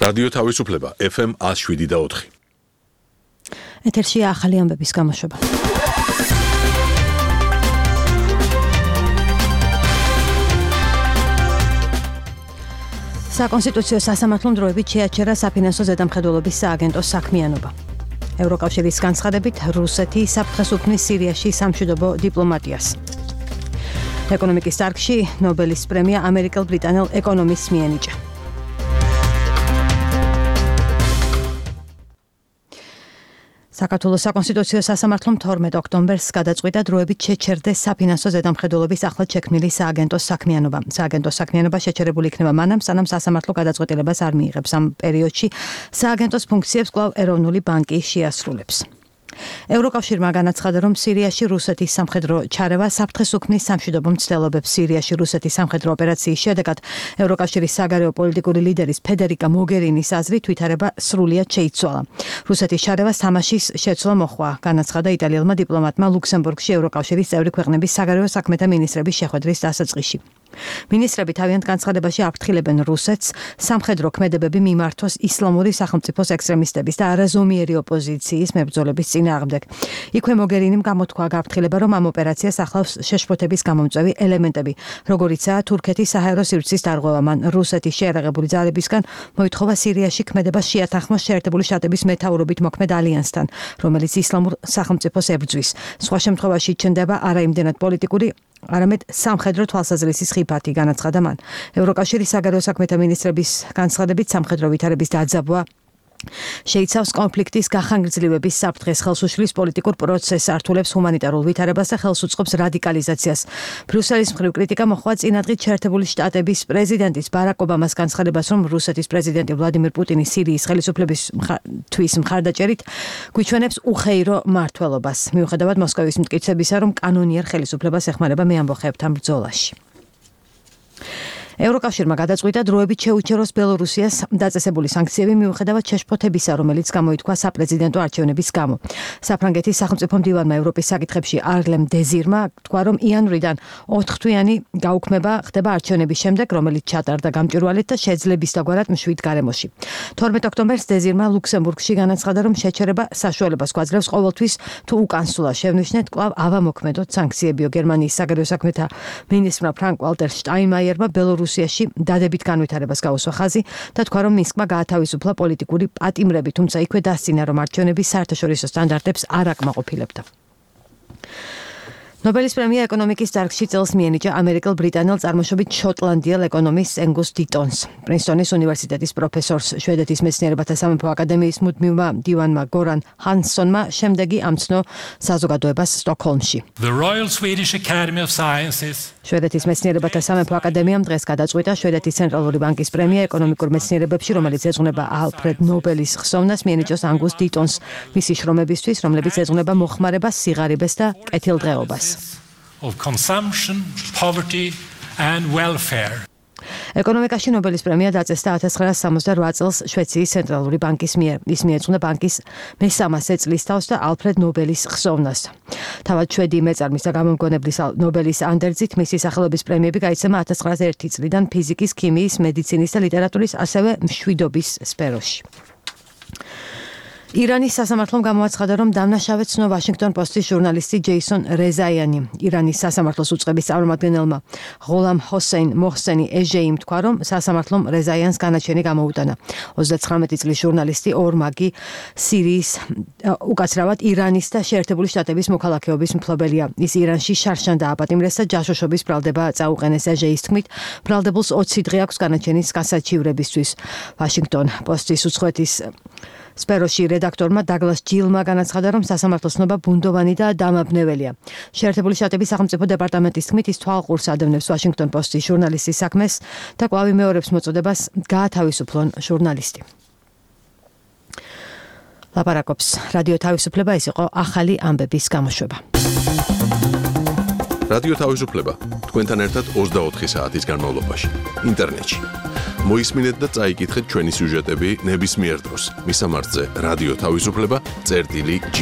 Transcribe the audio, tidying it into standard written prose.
რადიო თავისუფლება FM 107.4. ეთერშია ახალი ამბების გამოშვება. საკონსტიტუციო სასამართლომ დროებით შეაჩერა საფინანსო ზედამხედველობის სააგენტოს საქმიანობა. ევროკავშირის განცხადებით რუსეთი საფრთხეს უქმნის სირიაში სამშვიდობო დიპლომატიას. ეკონომიკის დარგში ნობელის პრემია ამერიკელ-ბრიტანელ ეკონომისტს მიენიჭა. საქართველოს საკონსტიტუციო სასამართლომ 12 ოქტომბერს გადაწყვიტა დროებით შეჩერდეს საფინანსო ზედამხედველობის ახლად შექმნილი სააგენტოს საქმიანობა. სააგენტოს საქმიანობა შეჩერებული იქნება მანამ, სანამ სასამართლო გადაწყვეტილებას არ მიიღებს. ამ პერიოდში სააგენტოს ფუნქციებს კვლავ ეროვნული ბანკი შეასრულებს. ევროკავშირმა განაცხადა, რომ სირიაში რუსეთის სამხედრო ჩარევა საფრთხეს უქმნის სამშვიდობო მცდელობებს. სირიაში რუსეთის სამხედრო ოპერაციის შედეგად ევროკავშირის საგარეო პოლიტიკური ლიდერის ფედერიკა მოგერინის აზრით ვითარება სრულიად შეიცვალა. რუსეთის ჩარევა სამაშის შეცვლა მოჰყვა, განაცხადა იტალიელმა დიპლომატმა ლუქსემბურგში ევროკავშირის წევრი ქვეყნების საგარეო საქმეთა მინისტრების შეხვედრის დასაწყისში. მინისტრები თავიანთ განცხადებაში აფრთხილებენ რუსეთს სამხედრო ქმედებები მიმართოს ისლამური სახელმწიფოს ექსტრემისტების და არაზომიერი ოპოზიციის მებრძოლების წინააღმდეგ. იქვე მოგერინიმ გამოთქვა გაფრთხილება, რომ ამ ოპერაციას ახლავს შეშფოთების გამომწვევი ელემენტები, როგორიცაა თურქეთის საჰაერო სივრცის დარღვევა. მან რუსეთის შეერაღებული ძალებისგან მოითხოვა სირიაში ქმედებას შეათანხმოს შეერთებული შტატების მეთაურობით მოქმედ ალიანსთან, რომელიც ისლამურ სახელმწიფოს ებრძვის. სხვა შემთხვევაში ჩნდება არა იმდენად პოლიტიკური, არამედ სამხედრო თვალსაზრისის ხიფათი, განაცხადა მან. ევროკავშირის საგარეო საქმეთა მინისტრების განცხადებით სამხედრო ვითარების დაძაბვა შეიცავს კონფლიქტის გახანგრძლივების საფრთხეს, ხელს უშლის პოლიტიკურ პროცესს, ართულებს ჰუმანიტარულ ვითარებას და ხელს უწყობს რადიკალიზაციას. ბრიუსელის მხრივ კრიტიკა მოჰყვა წინადღით შეერთებული შტატების პრეზიდენტის ბარაკ ობამას განცხადებას, რომ რუსეთის პრეზიდენტი ვლადიმირ პუტინი სირიის ხელისუფლებისთვის მხარდაჭერით გვიჩვენებს უხეირო მმართველობას. მიუხედავად მოსკოვის მტკიცებისა, რომ კანონიერ ხელისუფლებას ეხმარება მეამბოხეებთან ბრძოლაში. ევროკავშირმა გადაწყვიტა დროებით შეუჩეროს ბელორუსიას დაწესებული სანქციები მიუხედავად შეშფოთებისა, რომელიც გამოითქვა საპრეზიდენტო არჩევნების გამო. საფრანგეთის სახელმწიფო მდივანმა ევროპის საკითხებში არლემ დეზირმა თქვა, რომ იანვრიდან 4 თვიანი გაუქმება ხდება არჩევნების შემდეგ, რომელიც ჩატარდა გამჭვირვალედ და შეძლებისდაგვარად მშვიდ გარემოში. 12 ოქტომბერს დეზირმა ლუქსემბურგში განაცხადა, რომ შეჩერება საშუალებას გვაძლევს ყოველთვის თუ უკან სულა შევნიშნეთ, კვლავ ავამოქმედოთ სანქციებიო. გერმანიის საგარეო საქმეთა მინისტრმა ფრანკ ვალტერ შტაინმაიერმა რუსიაში დადებით განვითარებას გაუსვა ხაზი და თქვა, რომ მინსკმა გაათავისუფლა პოლიტიკური პატიმრები, თუმცა იქვე დასცინა, რომ არჩევნები საერთაშორისო სტანდარტებს არ აკმაყოფილებდა. ნობელის პრემია ეკონომიკის დარგში წელს მიენიჭა ამერიკელ-ბრიტანელ წარმოშობით შოტლანდიელ ეკონომისტს ენგუს დიტონს. პრინსტონის უნივერსიტეტის პროფესორს, შვედეთის მეცნიერებათა სამეფო აკადემიის მუდმივმა მდივანმა გორან ჰანსონმა შემდეგი ამცნო საზოგადოებას სტოკჰოლმში. შვედეთის მეცნიერებათა სამეფო აკადემიამ დღეს გადაწყვიტა შვედეთის ცენტრალური ბანკის პრემია ეკონომიკურ მეცნიერებებში, რომელიც ეძღვნება ალფრედ ნობელის ხსოვნას, მიენიჭოს ანგუს დიტონს მისი შრომებისთვის, რომლებიც ეძღვნება მოხმარებას, სიღარიბეს და კეთილდღეობას. Of consumption, poverty and welfare. ეკონომიკაში ნობელის პრემია დაწესდა 1968 წელს შვეიცარიის ცენტრალური ბანკის მიერ. ის მიეძღვნა ბანკის მე-300 წლისთავს და ალფრედ ნობელის ხსოვნას. თავად შვედი მეწარმის და გამომგონებლის ნობელის ანდერძით მისი სახელობის პრემიები გაიცემა 1901 წლიდან ფიზიკის, ქიმიის, მედიცინის და ლიტერატურის, ასევე მშვიდობის სფეროში. ირანის სასამართლომ გამოაცხადა, რომ დამნაშავედ ცნო ვაშინგტონ პოსტის ჟურნალისტი ჯეისონ რეზაიანი. ირანის სასამართლოს უწყების წარმომადგენელმა ღოლამ ჰოსეინ მოჰსენი ეჟეიმ თქვა, რომ სასამართლომ რეზაიანს განაჩენი გამოუტანა. 39 წლის ჟურნალისტი ორმაგი სირიის, უკაცრავად ირანის და შეერთებული შტატების მოქალაქეობის მფლობელია. ის ირანში შარშან დააპატიმრეს და ჯაშუშობის ბრალდება წაუყენეს. ეჟეის თქმით, ბრალდებულს 20 დღე აქვს განაჩენის გასაჩივრებისთვის. ვაშინგტონ პოსტის უცხოეთის სფეროში რედაქტორმა დაგლას ჯილმა განაცხადა, რომ სასამართლოს ცნობა ბუნდოვანი და დამაბნეველია. შეერთებული შტატების სახელმწიფო დეპარტამენტის თქმით, ის თვალყურს ადევნებს ვაშინგტონ პოსტის ჟურნალისტის საქმეს და კვლავ იმეორებს მოწოდებას გაათავისუფლონ ჟურნალისტი. ლაპარაკობს რადიო თავისუფლება, ეს იყო ახალი ამბების გამოშვება. რადიო თავისუფლება თქვენთან ერთად 24 საათის განმავლობაში ინტერნეტში. მოისმინეთ და წაიკითხეთ ჩვენი სიუჟეტები ნებისმიერ დროს. მისამართზე რადიო თავისუფლება წერტილი G.